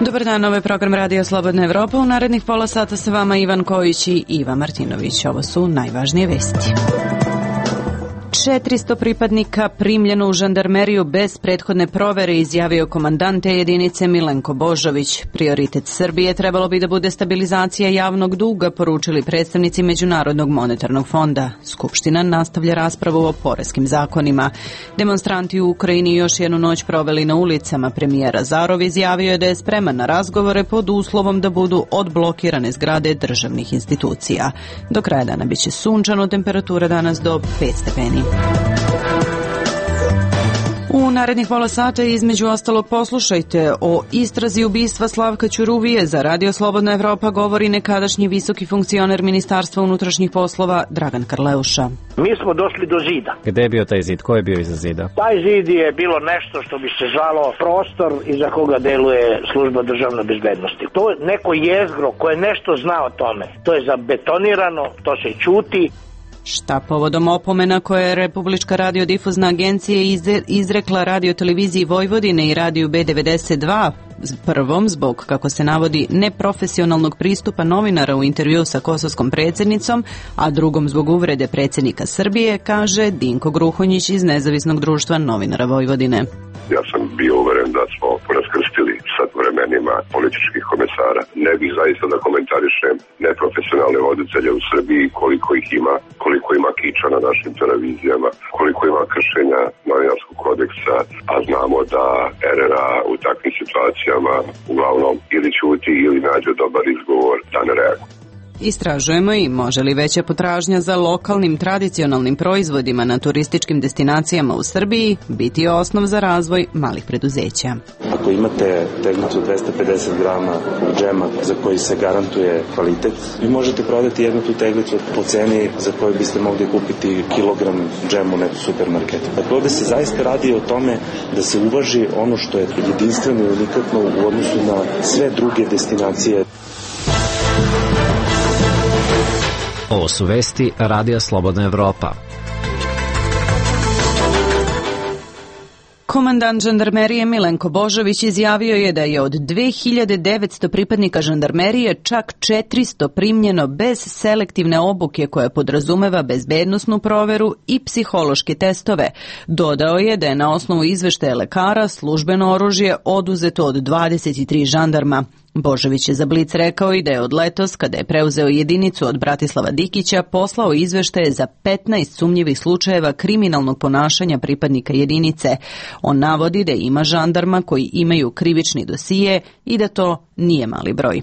Dobar dan, ovo je program Radio Slobodna Evropa. U narednih pola sata sa vama Ivan Kojić i Iva Martinović. Ovo su najvažnije vesti. 400 pripadnika primljeno u žandarmeriju bez prethodne provere, izjavio komandant te jedinice Milenko Božović. Prioritet Srbije trebalo bi da bude stabilizacija javnog duga, poručili predstavnici Međunarodnog monetarnog fonda. Skupština nastavlja raspravu o poreskim zakonima. Demonstranti u Ukrajini još jednu noć proveli na ulicama. Premijer Azarov izjavio je da je spreman na razgovore pod uslovom da budu odblokirane zgrade državnih institucija. Do kraja dana biće sunčano, temperatura danas do 5 stepeni. U narednih pola sata između ostalog poslušajte o istrazi ubistva Slavka Ćuruvije. Za Radio Slobodna Evropa govori nekadašnji visoki funkcioner Ministarstva unutrašnjih poslova Dragan Karleuša. Mi smo došli do zida. Gde je bio taj zid? Ko je bio iza zida? Taj zid je bilo nešto što bi se zvalo prostor iza koga deluje služba državne bezbednosti. To je neko jezgro koje nešto zna o tome. To je zabetonirano, to se ćuti. Šta povodom opomena koje je Republička radiodifuzna agencija izrekla radioteleviziji Vojvodine i radiju B92, prvom zbog, kako se navodi, neprofesionalnog pristupa novinara u intervju sa kosovskom predsjednicom, a drugom zbog uvrede predsjednika Srbije, kaže Dinko Gruhonjić iz Nezavisnog društva novinara Vojvodine. Ja sam bio uveren da smo raskrstili sad vremenima političkih komesara. Ne bih zaista da komentarišem neprofesionalne voditelje u Srbiji, koliko ima kiča na našim televizijama, koliko ima kršenja novinarskog kodeksa, a znamo da RRA u takvim situacijama uglavnom ili ćuti ili nađe dobar izgovor da ne reaguje. Istražujemo i može li veća potražnja za lokalnim tradicionalnim proizvodima na turističkim destinacijama u Srbiji biti osnov za razvoj malih preduzeća. Ako imate teglicu 250 grama džema za koji se garantuje kvalitet, vi možete prodati jednu tu teglicu po ceni za koju biste mogli kupiti kilogram džema u nekom supermarketu. Dakle, ovde se zaista radi o tome da se uvaži ono što je jedinstveno i unikatno u odnosu na sve druge destinacije. Ovo su vesti Radija Slobodna Evropa. Komandant žandarmerije Milenko Božović izjavio je da je od 2900 pripadnika žandarmerije čak 400 primljeno bez selektivne obuke koja podrazumeva bezbednosnu proveru i psihološke testove. Dodao je da je na osnovu izveštaja lekara službeno oružje oduzeto od 23 žandarma. Božović je za Blic rekao i da je od letos, kada je preuzeo jedinicu od Bratislava Dikića, poslao izveštaje za 15 sumnjivih slučajeva kriminalnog ponašanja pripadnika jedinice. On navodi da ima žandarma koji imaju krivični dosije i da to nije mali broj.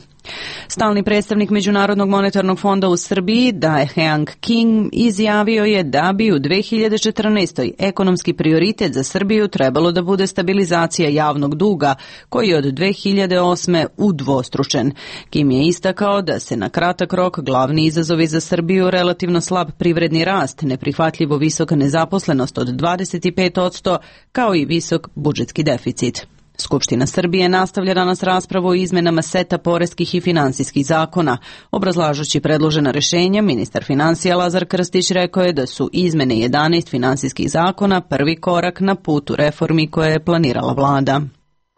Stalni predstavnik Međunarodnog monetarnog fonda u Srbiji, Dae-Heang Kim, izjavio je da bi u 2014. ekonomski prioritet za Srbiju trebalo da bude stabilizacija javnog duga, koji je od 2008. udvostručen. Kim je istakao da se na kratak rok glavni izazovi za Srbiju relativno slab privredni rast, neprihvatljivo visoka nezaposlenost od 25%, kao i visok budžetski deficit. Skupština Srbije nastavlja danas raspravu o izmenama seta poreskih i finansijskih zakona. Obrazlažući predložena rešenja, ministar finansija Lazar Krstić rekao je da su izmene 11 finansijskih zakona prvi korak na putu reformi koje je planirala vlada.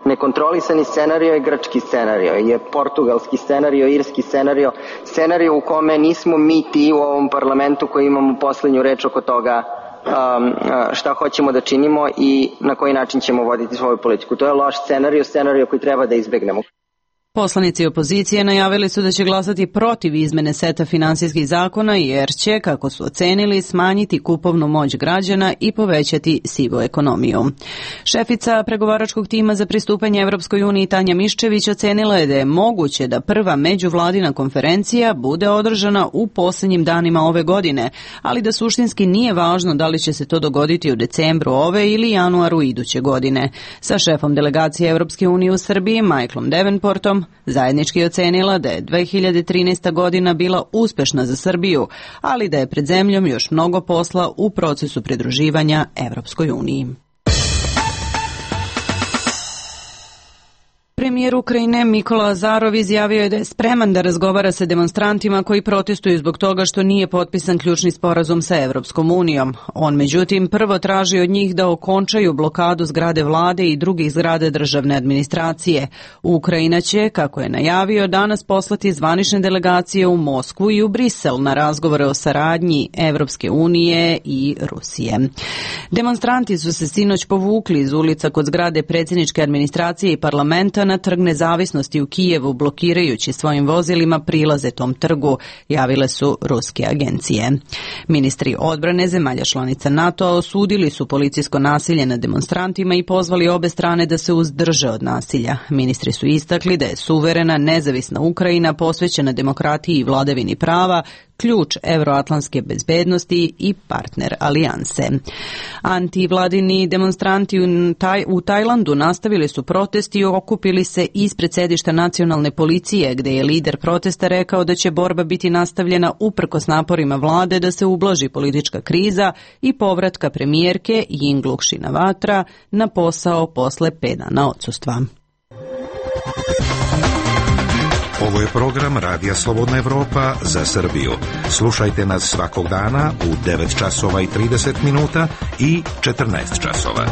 Nekontrolisani scenario je grčki scenario, je portugalski scenario, irski scenario, scenario u kome nismo mi ti u ovom parlamentu koji imamo poslednju reč oko toga šta hoćemo da činimo i na koji način ćemo voditi svoju politiku. To je loš scenario koji treba da izbegnemo. Poslanici opozicije najavili su da će glasati protiv izmene seta finansijskih zakona jer će, kako su ocenili, smanjiti kupovnu moć građana i povećati sivu ekonomiju. Šefica pregovaračkog tima za pristupanje Evropskoj uniji Tanja Miščević ocenila je da je moguće da prva međuvladina konferencija bude održana u posljednjim danima ove godine, ali da suštinski nije važno da li će se to dogoditi u decembru ove ili januaru iduće godine. Sa šefom delegacije Evropske unije u Srbiji, Michaelom Davenportom, zajednički ocenila da je 2013. godina bila uspešna za Srbiju, ali da je pred zemljom još mnogo posla u procesu pridruživanja Evropskoj uniji. Premijer Ukrajine Mikola Azarov izjavio je da je spreman da razgovara sa demonstrantima koji protestuju zbog toga što nije potpisan ključni sporazum sa Evropskom unijom. On međutim prvo traži od njih da okončaju blokadu zgrade vlade i drugih zgrada državne administracije. Ukrajina će, kako je najavio, danas poslati zvanične delegacije u Moskvu i u Brisel na razgovore o saradnji Evropske unije i Rusije. Demonstranti su se sinoć povukli iz ulica kod zgrade predsjedničke administracije i parlamenta na Trg Nezavisnosti u Kijevu, blokirajući svojim vozilima prilaze tom trgu, javile su ruske agencije. Ministri odbrane zemalja članica NATO-a osudili su policijsko nasilje nad demonstrantima i pozvali obe strane da se uzdrže od nasilja. Ministri su istakli da je suverena, nezavisna Ukrajina posvećena demokratiji i vladavini prava, ključ evroatlantske bezbednosti i partner alijanse. Antivladini demonstranti u Tajlandu nastavili su protest i okupili se ispred sedišta nacionalne policije, gde je lider protesta rekao da će borba biti nastavljena uprkos naporima vlade da se ublaži politička kriza i povratka premijerke Yingluck Shinawatra na posao posle 5 dana odsustva. Ovo je program Radija Slobodna Evropa za Srbiju. Slušajte nas svakog dana u 9 časova i 30 minuta i 14 časova.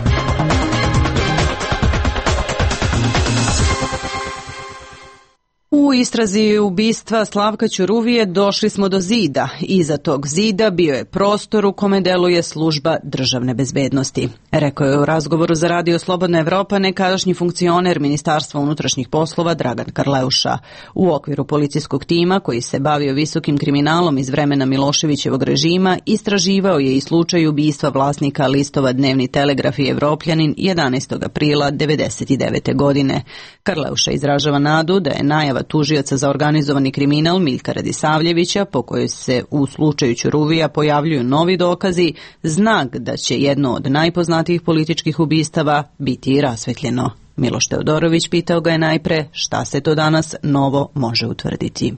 U istrazi ubistva Slavka Ćuruvije došli smo do zida. Iza tog zida bio je prostor u kome deluje služba državne bezbednosti. Rekao je u razgovoru za Radio Slobodna Evropa nekadašnji funkcioner Ministarstva unutrašnjih poslova Dragan Karleuša. U okviru policijskog tima koji se bavio visokim kriminalom iz vremena Miloševićevog režima istraživao je i slučaj ubistva vlasnika listova Dnevni Telegraf i Evropljanin 11. aprila 1999. godine. Karleuša izražava nadu da je najava tužioca za organizovani kriminal Miljka Radisavljevića, po kojoj se u slučaju Ćuruvija pojavljuju novi dokazi, znak da će jedno od najpoznatijih političkih ubistava biti i rasvetljeno. Miloš Teodorović pitao ga je najpre šta se to danas novo može utvrditi.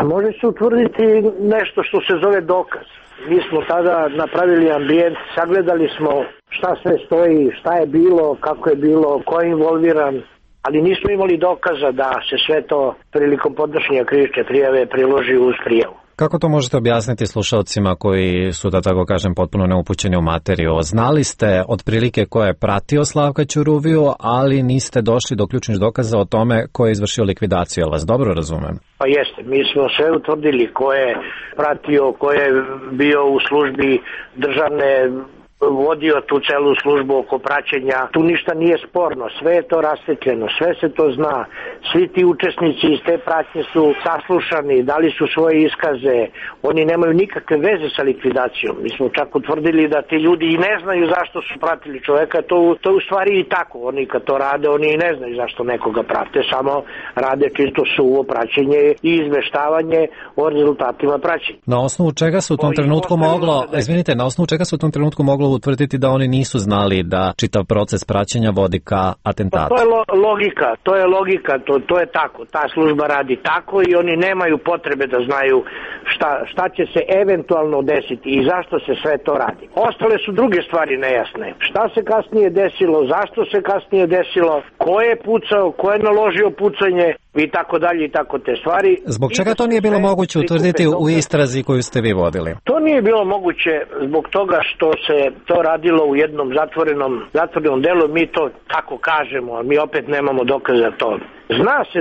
Može se utvrditi nešto što se zove dokaz. Mi smo tada napravili ambijent, sagledali smo šta sve stoji, šta je bilo, kako je bilo, ko je involviran, ali nismo imali dokaza da se sve to prilikom podnošenja krivične prijave priloži uz prijavu. Kako to možete objasniti slušalcima koji su, da tako kažem, potpuno neupućeni u materiju? Znali ste otprilike ko je pratio Slavka Ćuruviju, ali niste došli do ključnih dokaza o tome ko je izvršio likvidaciju, ali vas dobro razumem? Pa jeste, mi smo sve utvrdili ko je pratio, ko je bio u službi državne, vodio tu celu službu oko praćenja. Tu ništa nije sporno, sve je to rasvetljeno, sve se to zna. Svi ti učesnici iz te pratnje su saslušani, dali su svoje iskaze, oni nemaju nikakve veze sa likvidacijom. Mi smo čak utvrdili da ti ljudi i ne znaju zašto su pratili čoveka, to u stvari i tako. Oni kad to rade, oni i ne znaju zašto nekoga prate, samo rade čisto suvo praćenje i izveštavanje o rezultatima praćenja. Na osnovu čega se u tom trenutku moglo, na osnovu čega se u tom trenutku moglo utvrditi da oni nisu znali da čitav proces praćenja vodi ka atentatu? To je logika, to je tako. Ta služba radi tako i oni nemaju potrebe da znaju šta će se eventualno desiti i zašto se sve to radi. Ostale su druge stvari nejasne. Šta se kasnije desilo, zašto se kasnije desilo, ko je pucao, ko je naložio pucanje i tako dalje i tako te stvari. Zbog čega to nije bilo moguće utvrditi u istrazi koju ste vi vodili? To nije bilo moguće zbog toga što se to radilo u jednom zatvorenom delu, mi to tako kažemo, a mi opet nemamo dokaza to. Zna se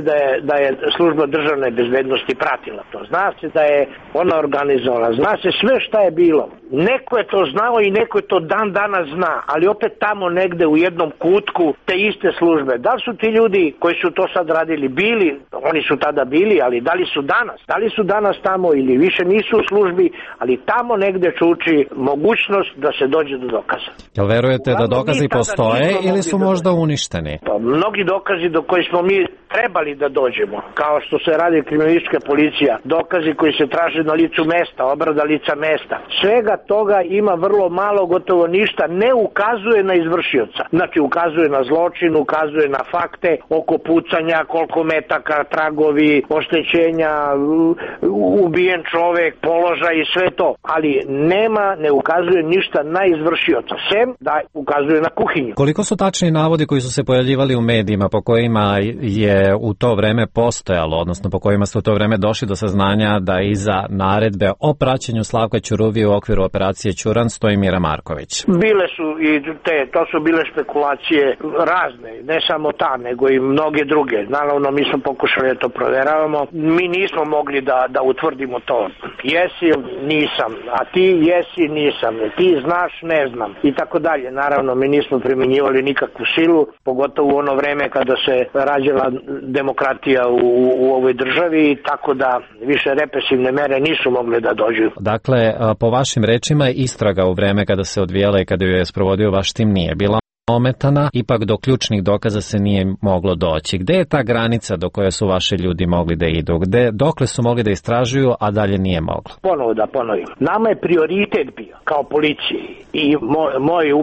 da je služba državne bezbednosti pratila to, zna se da je ona organizovala, zna se sve šta je bilo. Neko je to znao i neko je to dan danas zna, ali opet tamo negde u jednom kutku te iste službe. Da li su ti ljudi koji su to sad radili bili, oni su tada bili, ali da li su danas tamo ili više nisu u službi, ali tamo negde čuči mogućnost da se dođe do dokaza. Jel verujete da dokazi postoje ili su možda uništeni? Pa, mnogi dokazi do koji smo mi trebali da dođemo, kao što se radi kriminalistička policija, dokazi koji se traže na licu mesta, obrada lica mesta, svega toga ima vrlo malo, gotovo ništa, ne ukazuje na izvršioca. Znači ukazuje na zločin, ukazuje na fakte oko pucanja, koliko metaka, tragovi, oštećenja, ubijen čovek, položaj i sve to. Ali ne ukazuje ništa na izvršioca, sem da ukazuje na kuhinju. Koliko su tačni navodi koji su se pojavljivali u medijima po kojima je u to vreme postojalo, odnosno po kojima ste u to vreme došli do saznanja da iza naredbe o praćenju Slavka Ćuruvije u okviru operacije Ćuran stoji Mira Marković? Bile su i to su bile špekulacije razne, ne samo ta, nego i mnoge druge. Naravno, mi smo pokušali da to proveravamo. Mi nismo mogli da utvrdimo to. Jesi, nisam, a ti jesi, nisam, ti znaš, ne znam i tako dalje. Naravno, mi nismo primjenjivali nikakvu silu, pogotovo u ono vreme kada se rađala demokratija u ovoj državi, tako da više represivne mere nisu mogle da dođu. Dakle, po vašim rečima, istraga u vreme kada se odvijela i kada ju je sprovodio vaš tim nije bila ometana, ipak do ključnih dokaza se nije moglo doći. Gde je ta granica do koje su vaši ljudi mogli da idu? Dokle su mogli da istražuju, a dalje nije moglo? Ponovo da ponovim. Nama je prioritet bio, kao policiji i moj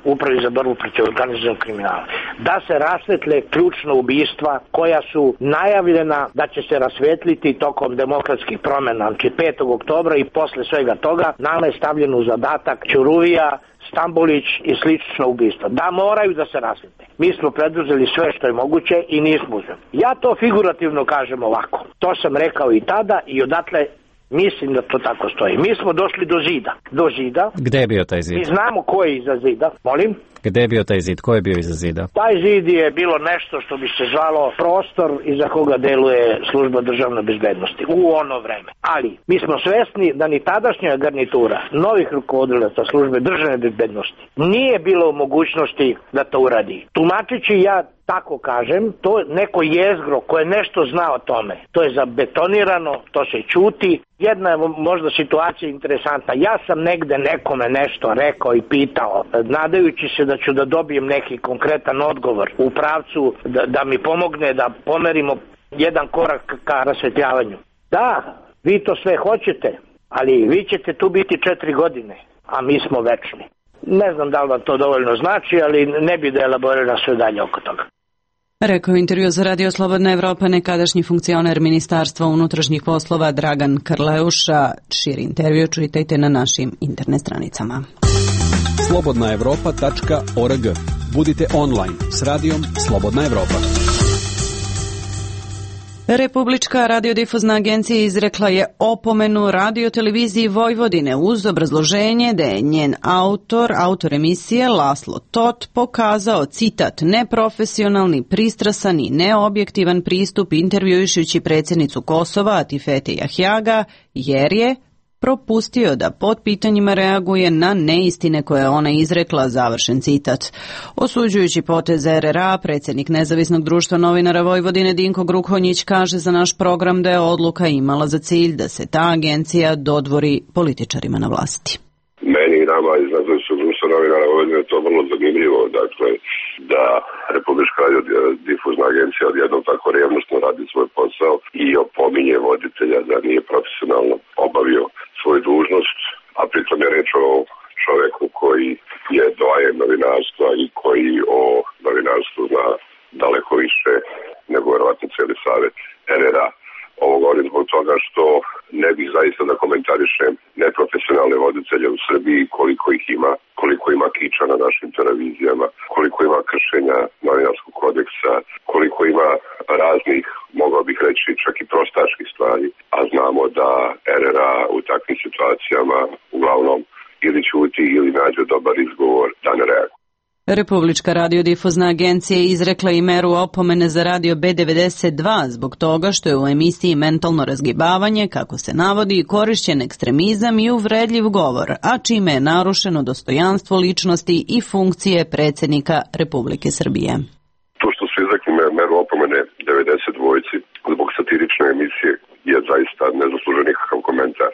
upravi za borbu protiv organizovanog kriminala, da se rasvetle ključna ubistva koja su najavljena da će se rasvetliti tokom demokratskih promena, znači 5. oktobra i posle svega toga. Nama je stavljen u zadatak Ćuruvija, Stambolić i slično ubistva. Da moraju da se rasvete. Mi smo preduzeli sve što je moguće i nismo uzeli. Ja to figurativno kažem ovako. To sam rekao i tada i odatle mislim da to tako stoji. Mi smo došli do zida. Do zida. Gde je bio taj zid? Mi znamo ko je iza zida. Molim? Gde je bio taj zid? Ko je bio iza zida? Taj zid je bilo nešto što bi se zvalo prostor iza koga deluje služba državne bezbednosti u ono vreme. Ali mi smo svesni da ni tadašnja garnitura novih rukovodilaca službe državne bezbednosti nije bilo u mogućnosti da to uradi. Tumačići ja tako kažem, to je neko jezgro koje nešto zna o tome. To je zabetonirano, to se ćuti. Jedna je možda situacija interesantna. Ja sam negde nekome nešto rekao i pitao, nadajući se da ću da dobijem neki konkretan odgovor u pravcu da mi pomogne da pomerimo jedan korak ka rasvetljavanju. Da, vi to sve hoćete, ali vi ćete tu biti 4 godine, a mi smo večni. Ne znam da li vam to dovoljno znači, ali ne bi da elaboriram sve dalje oko toga. Rekao intervju za Radio Slobodna Evropa nekadašnji funkcioner Ministarstva unutrašnjih poslova Dragan Krleuša. Širi intervju čitajte na našim internet stranicama. slobodnaevropa.org. Budite online s radijom Slobodna Evropa. Republička radiodifuzna agencija izrekla je opomenu radioteleviziji Vojvodine uz obrazloženje da je njen autor emisije Laslo Tot pokazao, citat, neprofesionalni, pristrasan i neobjektivan pristup intervjuišući predsjednicu Kosova Atifete Jahjaga jer je propustio da pod pitanjima reaguje na neistine koje je ona izrekla, završen citat. Osuđujući potez RRA, predsjednik Nezavisnog društva novinara Vojvodine Dinko Gruhonjić kaže za naš program da je odluka imala za cilj da se ta agencija dodvori političarima na vlasti. Meni i nama iz Nezavisnog društva novinara Vojvodine je to vrlo zanimljivo, dakle, da Republička radiodifuzna agencija odjednom tako revnosno radi svoj posao i opominje voditelja da nije profesionalno obavio svoju dužnost, a pritom je reč o čoveku koji je doajen novinarstva i koji o novinarstvu zna daleko više nego verovatno cijeli savet RRA. Ovo govorim zbog toga što ne bih zaista da komentarišem neprofesionalne voditelje u Srbiji, koliko ima kiča na našim televizijama, koliko ima kršenja novinarskog kodeksa, koliko ima raznih, mogao bih reći, čak i prostačkih stvari, a znamo da RRA u takvim situacijama uglavnom ili ćuti ili nađe dobar izgovor da ne reaguje. Republička radiodifuzna agencija izrekla i meru opomene za radio B92 zbog toga što je u emisiji Mentalno razgibavanje, kako se navodi, korišćen ekstremizam i uvredljiv govor, a čime je narušeno dostojanstvo ličnosti i funkcije predsjednika Republike Srbije. To što su izrekli meru opomene 92 zbog satirične emisije je zaista ne zaslužuje nikakav komentar.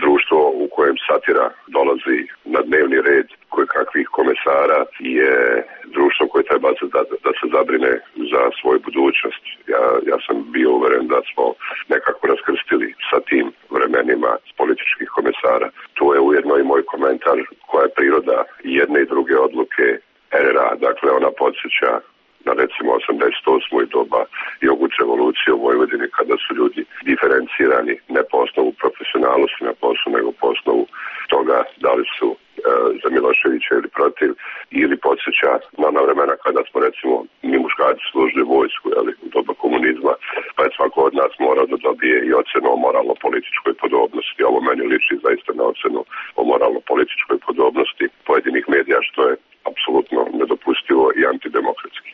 Društvo u kojem satira dolazi na dnevni red kakvih komesara je društvo koje treba da se zabrine za svoju budućnost. Ja sam bio uveren da smo nekako raskrstili sa tim vremenima političkih komesara. To je ujedno i moj podsjeća na recimo 88. i doba jogut revolucije u Vojvodini, kada su ljudi diferencirani ne po osnovu profesionalnosti na poslu, nego po osnovu toga da li su za Miloševića ili protiv, ili podsjeća na ona vremena kada smo recimo mi muškarci služili vojsku, u doba komunizma, pa je svako od nas morao da dobije i ocenu o moralno-političkoj podobnosti. Ovo meni liči zaista na ocenu o moralno-političkoj podobnosti pojedinih medija, što je apsolutno nedopustivo i antidemokratski.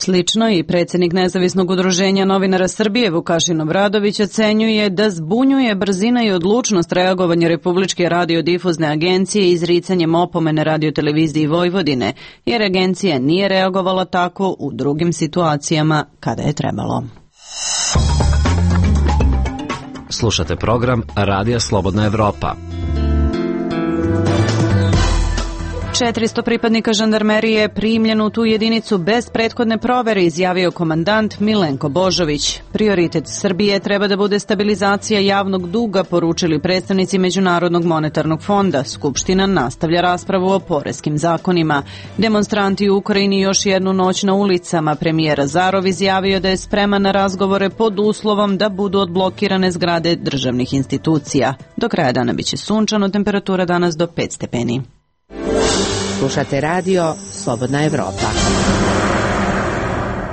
Slično i predsjednik Nezavisnog udruženja novinara Srbije Vukašin Obradović ocenjuje da zbunjuje brzina i odlučnost reagovanja Republičke radiodifuzne agencije izricanjem opomene Radioteleviziji Vojvodine, jer agencija nije reagovala tako u drugim situacijama kada je trebalo. Slušate program Radija Slobodna Evropa. 400 pripadnika žandarmerije je primljeno u tu jedinicu bez prethodne provere, izjavio komandant Milenko Božović. Prioritet Srbije treba da bude stabilizacija javnog duga, poručili predstavnici Međunarodnog monetarnog fonda. Skupština nastavlja raspravu o poreskim zakonima. Demonstranti u Ukrajini još jednu noć na ulicama. Premijer Azarov izjavio da je spreman na razgovore pod uslovom da budu odblokirane zgrade državnih institucija. Do kraja dana biće sunčano, temperatura danas do 5 stepeni. Slušate radio Slobodna Evropa.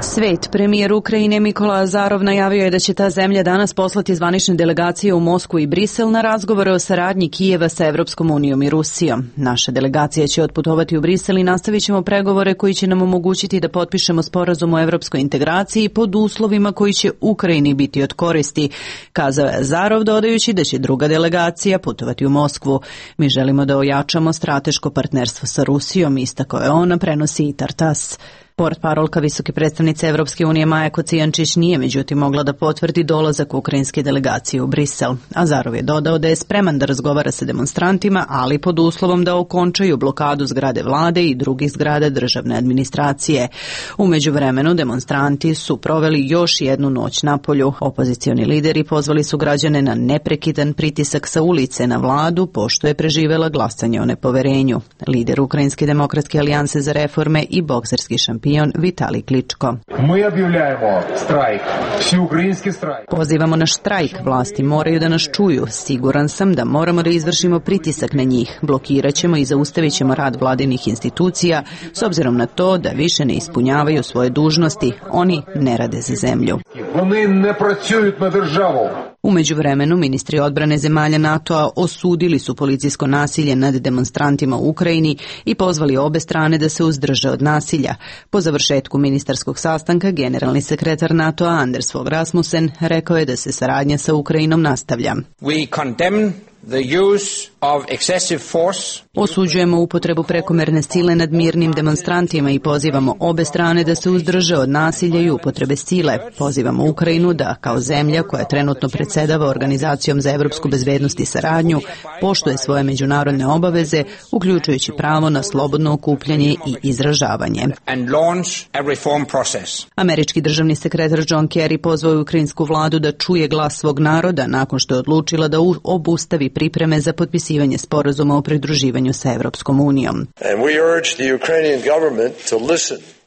Svet. Premijer Ukrajine Nikola Azarov najavio je da će ta zemlja danas poslati zvanične delegacije u Moskvu i Brisel na razgovore o saradnji Kijeva sa Evropskom unijom i Rusijom. Naša delegacija će otputovati u Brisel i nastavit ćemo pregovore koji će nam omogućiti da potpišemo sporazum o evropskoj integraciji pod uslovima koji će Ukrajini biti od koristi, kazao je Azarov, dodajući da će druga delegacija putovati u Moskvu. Mi želimo da ojačamo strateško partnerstvo sa Rusijom, istakao je on, prenosi i Tartas. Portparolka visoke predstavnice Evropske unije Maja Kocijančić nije međutim mogla da potvrdi dolazak ukrajinske delegacije u Brisel. Azarov je dodao da je spreman da razgovara sa demonstrantima, ali pod uslovom da okončaju blokadu zgrade vlade i drugih zgrada državne administracije. U međuvremenu demonstranti su proveli još jednu noć na polju. Opozicioni lideri pozvali su građane na neprekidan pritisak sa ulice na vladu, pošto je preživela glasanje o nepoverenju. Lider Ukrajinske demokratske alijanse za reforme i bokserski šampion Vitali Kličko. Mi objavljujemo štrajk, všeukrajinski štrajk. Pozivamo na štrajk, vlasti moraju da nas čuju. Siguran sam da moramo da izvršimo pritisak na njih. Blokirat ćemo i zaustavit ćemo rad vladinih institucija s obzirom na to da više ne ispunjavaju svoje dužnosti. Oni ne rade za zemlju. Oni ne pracuju na državu. U međuvremenu, ministri odbrane zemalja NATO-a osudili su policijsko nasilje nad demonstrantima u Ukrajini i pozvali obe strane da se uzdrže od nasilja. Po završetku ministarskog sastanka, generalni sekretar NATO-a Anders Fogh Rasmussen rekao je da se saradnja sa Ukrajinom nastavlja. We condemn the use of excessive force. Osuđujemo upotrebu prekomerne sile nad mirnim demonstrantima i pozivamo obe strane da se uzdrže od nasilja i upotrebe sile. Pozivamo Ukrajinu da, kao zemlja koja trenutno predsjedava Organizacijom za evropsku bezbednost i saradnju, poštuje svoje međunarodne obaveze, uključujući pravo na slobodno okupljanje i izražavanje. Američki državni sekretar John Kerry pozvao je ukrajinsku vladu da čuje glas svog naroda nakon što je odlučila da obustavi pripreme za potpisivanje sporazuma o pridruživanju sa Evropskom unijom.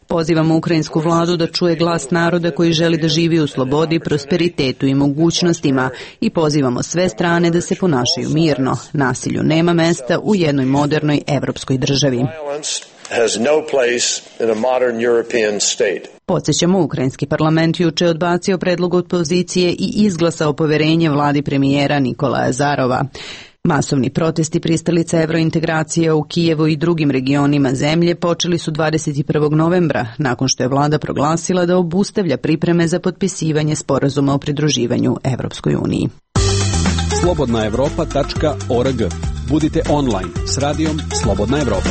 Pozivamo ukrajinsku vladu da čuje glas naroda koji želi da živi u slobodi, prosperitetu i mogućnostima i pozivamo sve strane da se ponašaju mirno. Nasilju nema mesta u jednoj modernoj evropskoj državi. Podsjećamo, ukrajinski parlament juče odbacio predlog opozicije i izglasao poverenje vladi premijera Nikolaja Azarova. Masovni protesti pristalica evrointegracije u Kijevu i drugim regionima zemlje počeli su 21. novembra, nakon što je vlada proglasila da obustavlja pripreme za potpisivanje sporazuma o pridruživanju Evropskoj uniji. slobodnaevropa.org. Budite online s radijom Slobodna Evropa.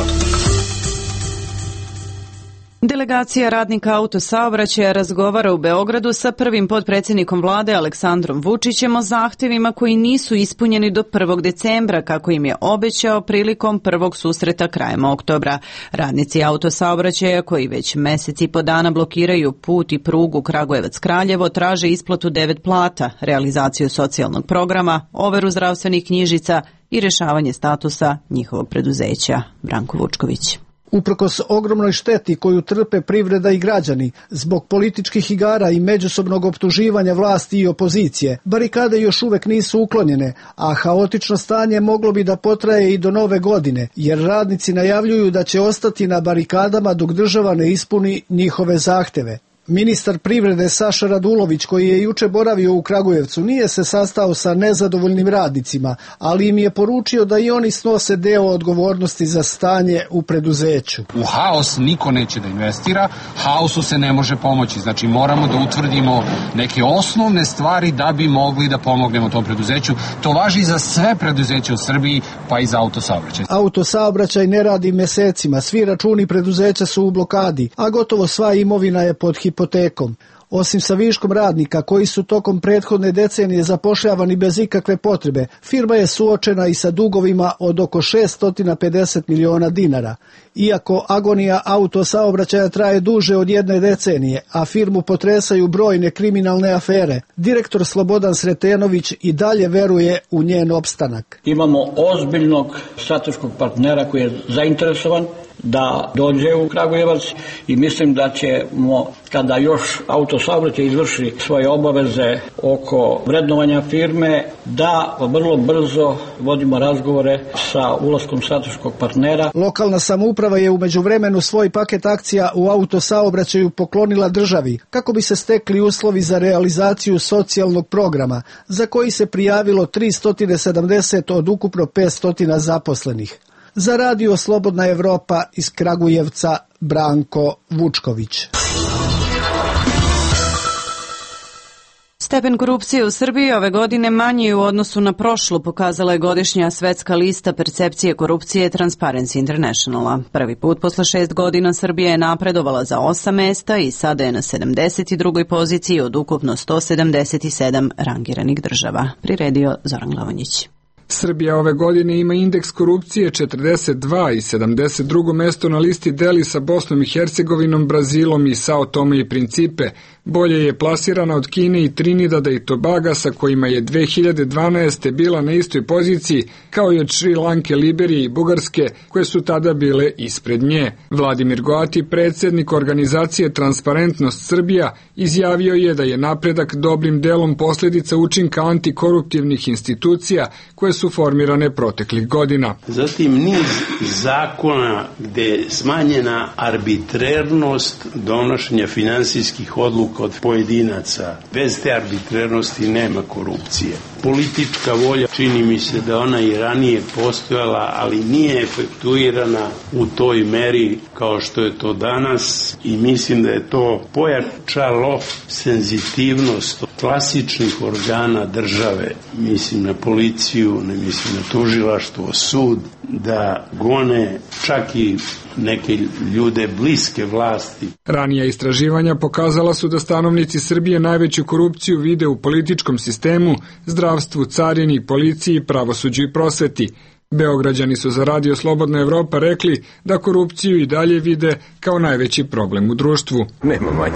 Delegacija radnika autosaobraćaja razgovara u Beogradu sa prvim potpredsjednikom vlade Aleksandrom Vučićem o zahtjevima koji nisu ispunjeni do 1. decembra, kako im je obećao prilikom prvog susreta krajem oktobra. Radnici autosaobraćaja, koji već mjesec i po dana blokiraju put i prugu Kragujevac-Kraljevo, traže isplatu 9 plata, realizaciju socijalnog programa, overu zdravstvenih knjižica i rješavanje statusa njihovog preduzeća. Branko Vučković. Uprkos ogromnoj šteti koju trpe privreda i građani zbog političkih igara i međusobnog optuživanja vlasti i opozicije, barikade još uvek nisu uklonjene, a haotično stanje moglo bi da potraje i do nove godine, jer radnici najavljuju da će ostati na barikadama dok država ne ispuni njihove zahteve. Ministar privrede Saša Radulović, koji je juče boravio u Kragujevcu, nije se sastao sa nezadovoljnim radnicima, ali im je poručio da i oni snose deo odgovornosti za stanje u preduzeću. U haos niko neće da investira, haosu se ne može pomoći. Znači moramo da utvrdimo neke osnovne stvari da bi mogli da pomognemo tom preduzeću. To važi za sve preduzeće u Srbiji, pa i za autosaobraćaj. Autosaobraćaj ne radi mesecima, svi računi preduzeća su u blokadi, a gotovo sva imovina je pod hipotekom. Osim sa viškom radnika koji su tokom prethodne decenije zapošljavani bez ikakve potrebe, firma je suočena i sa dugovima od oko 650 miliona dinara. Iako agonija autosaobraćaja traje duže od jedne decenije, a firmu potresaju brojne kriminalne afere, direktor Slobodan Sretenović i dalje veruje u njen opstanak. Imamo ozbiljnog strateškog partnera koji je zainteresovan da dođe u Kragujevac i mislim da ćemo, kada još autosaobraćaj izvrši svoje obaveze oko vrednovanja firme, da vrlo brzo vodimo razgovore sa ulaskom strateškog partnera. Lokalna samouprava je u međuvremenu svoj paket akcija u autosaobraćaju poklonila državi kako bi se stekli uslovi za realizaciju socijalnog programa, za koji se prijavilo 370 od ukupno 500 zaposlenih. Za Radio Slobodna Evropa iz Kragujevca, Branko Vučković. Stepen korupcije u Srbiji ove godine manji u odnosu na prošlu, pokazala je godišnja svetska lista percepcije korupcije Transparency Internationala. Prvi put posle 6 godina Srbija je napredovala za 8 mesta i sada je na 72. poziciji od ukupno 177 rangiranih država. Priredio Zoran Glavonjić. Srbija ove godine ima indeks korupcije 42 i 72. mesto na listi deli sa Bosnom i Hercegovinom, Brazilom i Sao Tome i Principe. Bolje je plasirana od Kine i Trinidada i Tobaga, sa kojima je 2012. bila na istoj poziciji, kao i od Šri Lanke, Liberije i Bugarske, koje su tada bile ispred nje. Vladimir Goati, predsjednik organizacije Transparentnost Srbija, izjavio je da je napredak dobrim delom posljedica učinka antikoruptivnih institucija koje su formirane proteklih godina. Zatim niz zakona gde je smanjena arbitrernost donošenja finansijskih odluka od pojedinaca. Bez te arbitrernosti nema korupcije. Politička volja, čini mi se da ona i ranije postojala, ali nije efektuirana u toj meri kao što je to danas i mislim da je to pojačalo senzitivnost klasičnih organa države. Mislim na policiju, ne mislim na tužilaštvo, sud, da gone čak i neke ljude bliske vlasti. Ranija istraživanja pokazala su da stanovnici Srbije najveću korupciju vide u političkom sistemu, zdravstvu, carini, policiji, pravosuđu i prosveti. Beograđani su za Radio Slobodna Evropa rekli da korupciju i dalje vide kao najveći problem u društvu. Nema manje.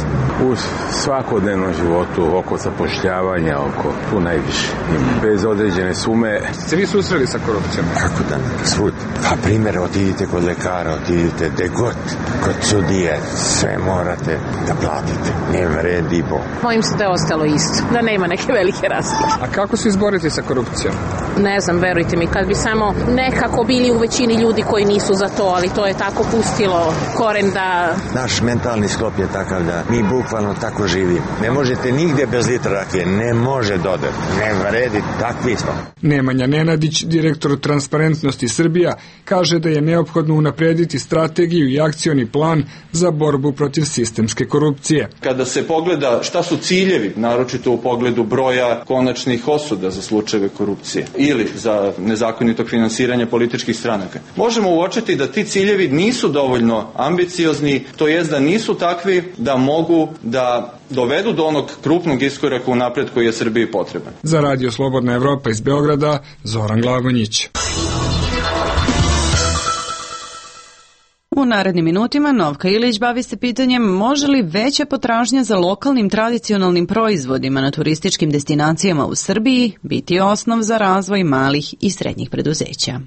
U svakodnevnom životu, oko zapošljavanja, oko tu najviše. Bez određene sume. Ste vi susreli sa korupcijom? Kako da ne? Svud. Pa primjer, otidite kod lekara, otidite de god, kod sudije, sve morate da platite. Nema red i bo. Mojim se da je ostalo isto, da nema neke velike razlike. A kako se izboriti sa korupcijom? Ne znam, verujte mi, kad bi samo nekako bili u većini ljudi koji nisu za to, ali to je tako pustilo koren da... Naš mentalni sklop je takav da mi bukvalno tako živimo. Ne možete nigde bez litra rakije, ne može dodati, ne vredi, takvi smo. Nemanja Nenadić, direktor Transparentnosti Srbija, kaže da je neophodno unaprediti strategiju i akcioni plan za borbu protiv sistemske korupcije. Kada se pogleda šta su ciljevi, naročito u pogledu broja konačnih osuda za slučajeve korupcije ili za nezakonitog finansiranja političkih stranaka, možemo uočiti da ti ciljevi nisu dovoljno ambiciozni, to jest da nisu takvi da mogu da dovedu do onog krupnog iskoraka u napred koji je Srbiji potreban. Za Radio Slobodna Evropa iz Beograda, Zoran Glavonjić. U narednim minutima Novka Ilić bavi se pitanjem može li veća potražnja za lokalnim tradicionalnim proizvodima na turističkim destinacijama u Srbiji biti osnov za razvoj malih i srednjih preduzeća.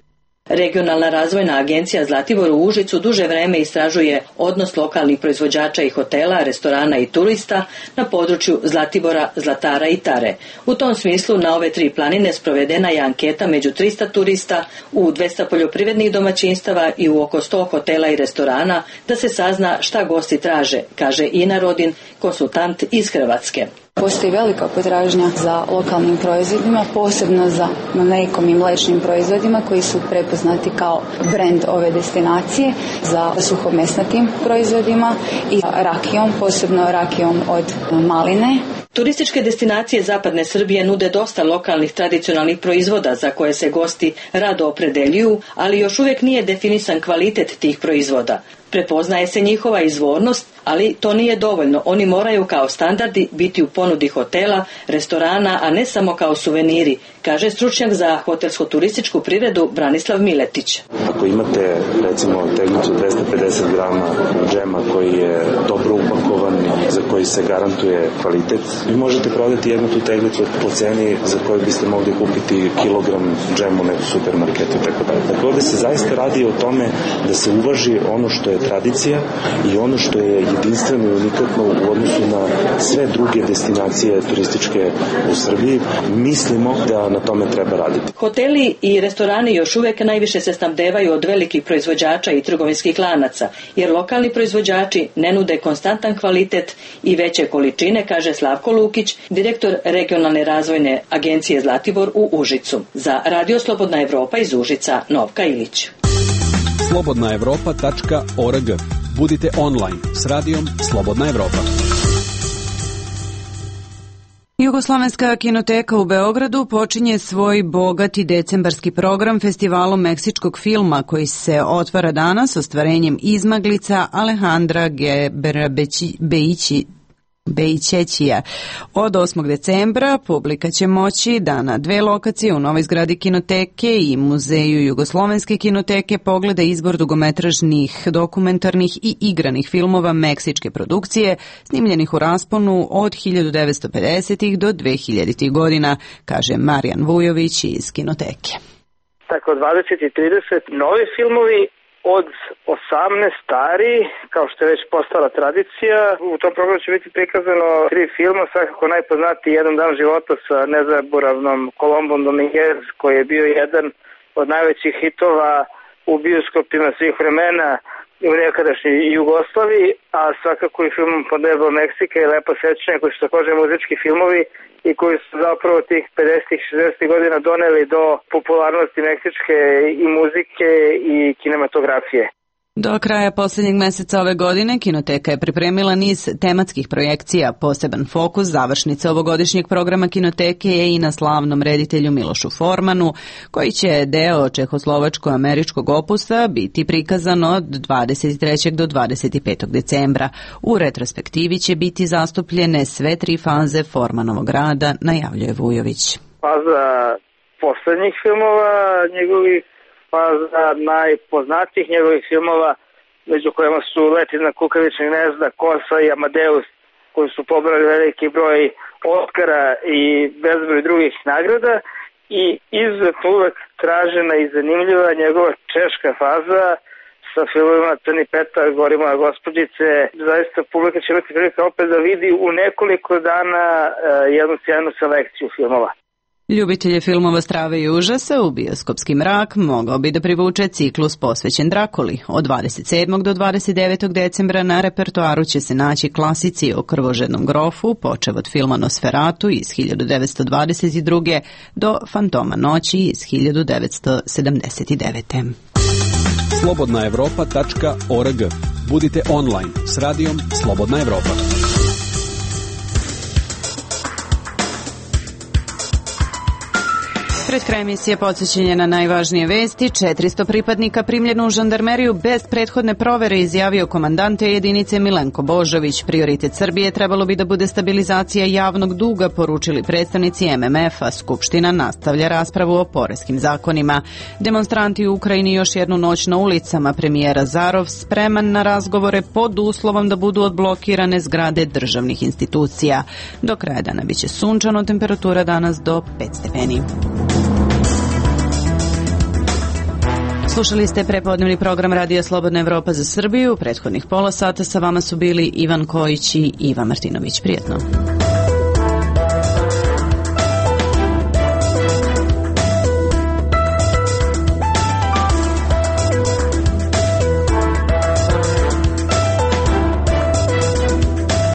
Regionalna razvojna agencija Zlatibor u Užicu duže vreme istražuje odnos lokalnih proizvođača i hotela, restorana i turista na području Zlatibora, Zlatara i Tare. U tom smislu na ove 3 planine sprovedena je anketa među 300 turista, u 200 poljoprivrednih domaćinstava i u oko 100 hotela i restorana da se sazna šta gosti traže, kaže Ina Rodin, konsultant iz Hrvatske. Postoji velika potražnja za lokalnim proizvodima, posebno za mlekom i mlečnim proizvodima koji su prepoznati kao brend ove destinacije, za suhomesnatim proizvodima i rakijom, posebno rakijom od maline. Turističke destinacije zapadne Srbije nude dosta lokalnih tradicionalnih proizvoda za koje se gosti rado opredeljuju, ali još uvijek nije definisan kvalitet tih proizvoda. Prepoznaje se njihova izvornost, ali to nije dovoljno. Oni moraju kao standardi biti u ponudi hotela, restorana, a ne samo kao suveniri, kaže stručnjak za hotelsko-turističku privredu Branislav Miletić. Ako imate recimo teglicu 250 grama džema koji je dobro upakovan, za koji se garantuje kvalitet, vi možete prodati jednu tu teglicu po ceni za koju biste mogli kupiti kilogram džema u nekom supermarketu i tako dalje. Tako ovde se zaista radi o tome da se uvaži ono što je tradicija i ono što je jedinstveno i unikatno u odnosu na sve druge destinacije turističke u Srbiji. Mislimo da na tome treba raditi. Hoteli i restorani još uvijek najviše se snabdevaju od velikih proizvođača i trgovinskih lanaca, jer lokalni proizvođači ne nude konstantan kvalitet i veće količine, kaže Slavko Lukić, direktor Regionalne razvojne agencije Zlatibor u Užicu. Za Radio Slobodna Evropa iz Užica, Novka Ilić. slobodnaevropa.org. Budite online s radijom Slobodna Evropa. Jugoslovenska kinoteka u Beogradu počinje svoj bogati decembarski program festivalom meksičkog filma koji se otvara danas ostvarenjem Izmaglica Alejandra Beićećija. Od 8. decembra publika će moći da na 2 lokacije u novoj zgradi kinoteke i muzeju Jugoslovenske kinoteke pogleda izbor dugometražnih, dokumentarnih i igranih filmova meksičke produkcije snimljenih u rasponu od 1950. do 2000. godina, kaže Marijan Vujović iz kinoteke. Tako 20 i 30 novi filmovi, od 18 stari, kao što je već postala tradicija. U tom programu će biti prikazano 3 filma, svakako najpoznatiji Jedan dan života sa nezaboravnom Colombom Dominguez, koji je bio jedan od najvećih hitova u bioskopima svih vremena u nekadašnjoj Jugoslaviji, a svakako i film Pod nebo Meksika i Lepa sećanja, koji su također muzički filmovi i koji su zapravo tih 50-ih, 60-ih godina doneli do popularnosti meksičke i muzike i kinematografije. Do kraja posljednjeg meseca ove godine Kinoteka je pripremila niz tematskih projekcija. Poseban fokus završnice ovogodišnjeg programa Kinoteke je i na slavnom reditelju Milošu Formanu, koji će deo čehoslovačko-američkog opusa biti prikazan od 23. do 25. decembra. U retrospektivi će biti zastupljene sve 3 faze Formanovog rada, najavljuje Vujović. Faza posljednjih filmova njegovih, faza najpoznatijih njegovih filmova, među kojima su Let iznad kukavičnih gnezda, Kosa i Amadeus, koji su pobrali veliki broj Oskara i bezbroj drugih nagrada, i izuzetno uvek tražena i zanimljiva njegova češka faza sa filmovima Crni Petar, Gori moja gospođice. Zaista publika će imati prilike opet da vidi u nekoliko dana jednu sjajnu selekciju filmova. Ljubitelje filmova strave i užasa u bioskopski mrak mogao bi da privuče ciklus posvećen Drakuli. Od 27. do 29. decembra na repertoaru će se naći klasici o krvožednom grofu, počev od filma Nosferatu iz 1922. do Fantoma noći iz 1979. slobodnaevropa.org. Budite online s radijom Slobodna Evropa. Pred kraj emisije podsjećanje na najvažnije vesti. 400 pripadnika primljeno u žandarmeriju bez prethodne provere, izjavio komandante jedinice Milenko Božović. Prioritet Srbije trebalo bi da bude stabilizacija javnog duga, poručili predstavnici MMF-a. Skupština nastavlja raspravu o poreskim zakonima. Demonstranti u Ukrajini još jednu noć na ulicama. Premijer Azarov spreman na razgovore pod uslovom da budu odblokirane zgrade državnih institucija. Do kraja dana biće sunčano, temperatura danas do 5 stepeni. Slušali ste prepodnevni program Radija Slobodna Evropa za Srbiju. Prethodnih pola sata sa vama su bili Ivan Kojić i Iva Martinović. Prijetno.